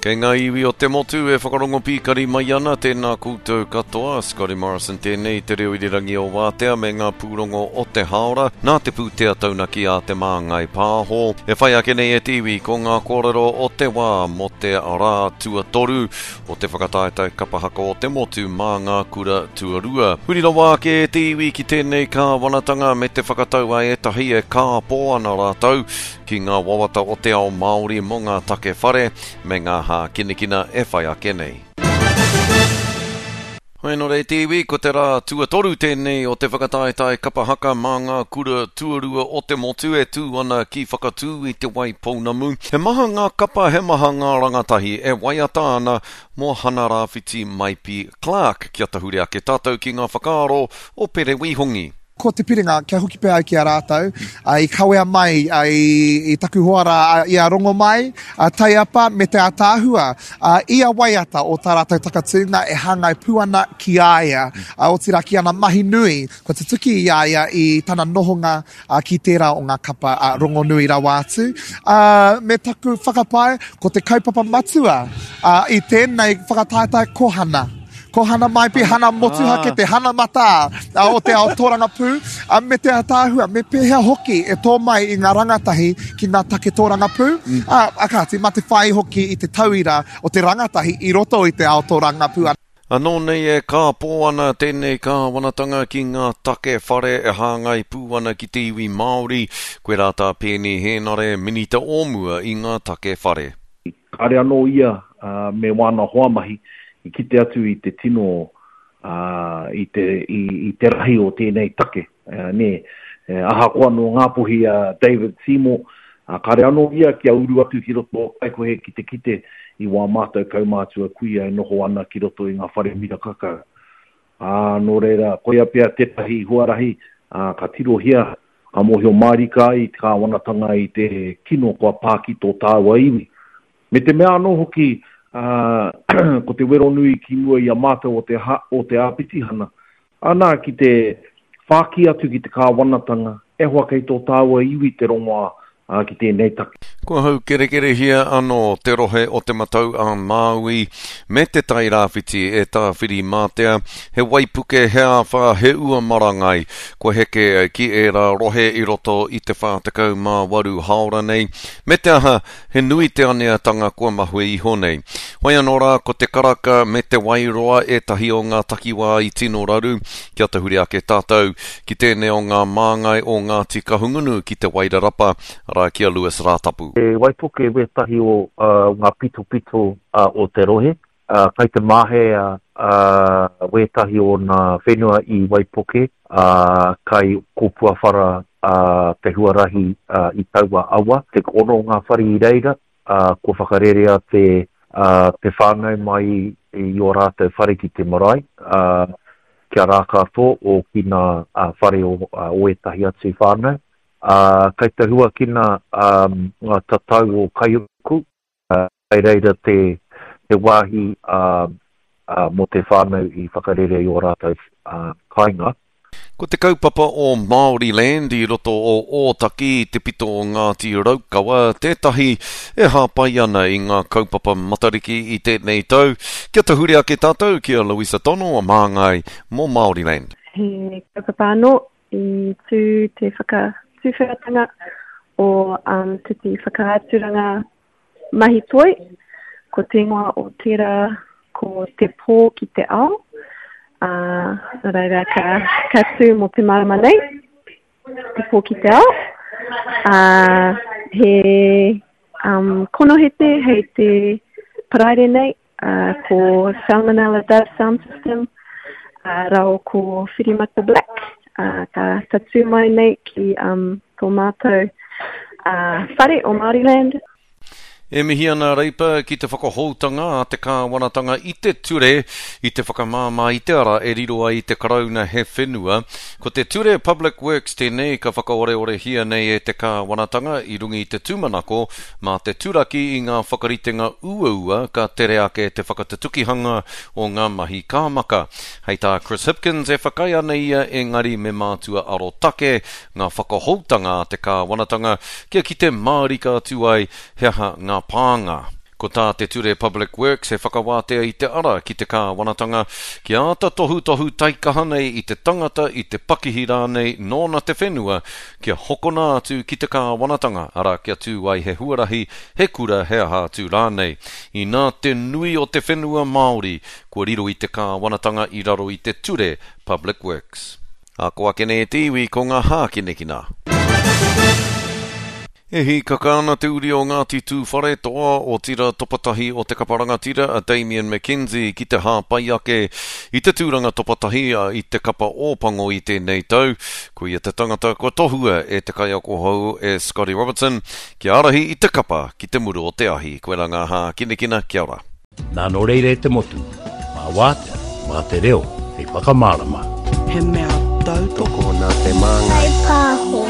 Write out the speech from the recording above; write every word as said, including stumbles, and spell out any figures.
Kei ngā iwi o te motu e whakarongo pīkari mai ana, tēnā koutou katoa. Scotty Morrison tēnei, te reo irirangi o Wātea me ngā pūrongo o te hāora, nā te pūtea taunaki a Te Māngai Pāho. E whai ake nei e te iwi ko ngā kōrero o te wā mō te rā tuatoru o te whakataetae kapa haka o te motu mā ngā kura tuarua. Huri rawa ake e te iwi ki tēnei kāwanatanga me te whakatau a ētahi e kāpō ana rātou ki ngā wawata o te ao Māori mō ngā take whare me ngā hākinakina e whai ake nei. Hoi nō reira te iwi, ko te rā tuatoru tēnei o te whakataetae kapa haka mā ngā kura tuarua o te motu e tū ana ki Whakatū i Te Waipounamu. He maha ngā kapa, he maha ngā rangatahi e waiata ana mō Hana Rāwhiti Maipi Clarke. Kia tahuri ake tātou ki ngā whakaaro o Pere Wīhongi. Ko te piringa, kia hoki pea au ki a rātou, i kawea mai i taku hoa rā, i a Rongomai, a Taiapa me te ātaahua, ia waiata o tā rātou takatūnga e hāngai pū ana ki a ia, otirā ki ana mahi nui, kua tutuki i a ia i tana nohonga ki tērā o ngā kapa rongonui rawa atu. Me taku whakapae, ko te kaupapa matua i tēnei whakataetae ko Hana. Ko Hana Maipi, Hana motuhake, te hana matā o te ao tōrangapū, me te ātaahua, me pēhea hoki e tō mai i ngā rangatahi ki ngā take tōrangapū. Mm. A, kāti, mā te whai hoki i te tauira o te rangatahi i roto i te ao tōrangapū. Anō nei e kāpō ana tēnei kāwanatanga ki ngā take whare e hāngai pū ana ki te iwi Māori, koirā tā Peeni Hēnare, Minita o mua i ngā take whare. Kāre anō ia me wāna hoa mahi i kite atu i te tino, i te, i, i te rahi o tēnei take, nē. Ahakoa nō Ngāpuhi a David Seymour, kāre anō ia kia uru atu ki roto o Kaikohe ki te kite i wā mātou kaumātua kuia e noho ana ki roto i ngā whare miraka kau. Ā, nō reira, koia pea tētahi huarahi, ā, ka tirohia, ka mōhio mārika ai te kāwanatanga i te kino kua pā ki tō tāua iwi. Me te mea anō hoki, ā, ko te wero nui ki mua i a mātou o te, o te āpitihana, ana, ki te whāki atu ki te kāwanatanga, e hoa kei tō tāua iwi te rongoā ā, ki tēnei take. Kua haukerekerehia anō te rohe o Te Matau-a-Māui me Te Tai Rāwhiti e Tāwhirimātea, he waipuke, he āwhā, he ua marangai kua heke ki ērā rohe i roto i te whā tekau mā waru hāora nei, me te aha, he nui te aneatanga kua mahue iho nei. Whai anō rā ko Te Karaka me Te Wairoa ētahi o ngā takiwā i tino raru, kia tahuri ake tātou ki tēnei o ngā māngai o Ngāti Kahungunu ki Te Wairarapa, arā ki a Lewis Rātapu. He waipuke wētahi o ngā pitopito o te rohe, kai te mahea wētahi o ngā whenua i Waipuke, kai Kōpuawhara te huarahi i taua awa. Te ono ngā whare i reira, kua whakarerea te te whānau mai i ō rātou whare ki te marae, kia rākātō o ki ngā whare o ētahi atu whānau. Kai te huakina ngā tatau o Kaiuku, kai reira te te wāhi mō te whānau i whakarere i ō rātou kāinga. Ko te kaupapa o Māoriland i roto o Ōtaki i te pito o Ngāti Raukawa tētahi e hāpai ana i ngā kaupapa Matariki i tēnei tau. Kia tahuri ake tātou ki a Louisa Tono, māngai mō Māoriland. He kaupapa anō i tū te whakatuwheratanga o um, tētahi whakaaturanga mahi toi, ko te ingoa o tērā ko Te Pō ki te Ao, ā, nā reira ka, ka tū mō te marama nei, Te Pō ki te Ao. Ā, he um, konohete hei te Paraire nei, ā, ko Salmonella Dove Sound System, ā, rāua ko Whirimata Black, ā, ka tatū mai nei ki um, tō mātou ā, whare o Māoriland. E mihi ana a Reipa ki te whakahoutanga a te kāwanatanga i te ture i te whakamāmā i te ara e riro ai i te Karauna he whenua. Ko te Ture Public Works tēnei ka whakaoreorehia nei e te kāwanatanga i runga i te tūmanako mā te turaki i ngā whakaritenga uaua ka tere ake te whakatutukihanga o ngā mahi kāmaka. Hei tā Chris Hipkins e whakaae ana ia engari me mātua arotake ngā whakahoutanga a te kāwanatanga kia kite mārika atu ai he aha ngā pānga. Ko tā te ture Public Works he whakawātea i te ara ki te kāwanatanga kia āta tohutohu taikaha nei i te tangata i te pakihi rānei nōna te whenua kia hokona atu ki te kāwanatanga, arā kia tū ai he huarahi, he kura, he aha atu rānei. Inā te nui o te whenua Māori kua riro i te kāwanatanga i raro i te ture Public Works. Ako ake nei e te iwi ko ngā hākinakina. E hīkaka ana te uri o Ngāti Tūwharetoa, otirā topatahi o te kapa rangatira a Damian McKenzie ki te hāpai ake i te tūranga topatahi i te kapa Ōpango i tēnei tau. Ko ia te tangata kua tohua e te kaiako hou e Scotty Robertson kia ārahi i te kapa ki te muru o te ahi. Koirā ngā hākinakina, kia ora. Nā, nō reira e te motu, mā Wātea, mā te reo hei whakamārama. He mea tautoko nā Te Māngai Pāho.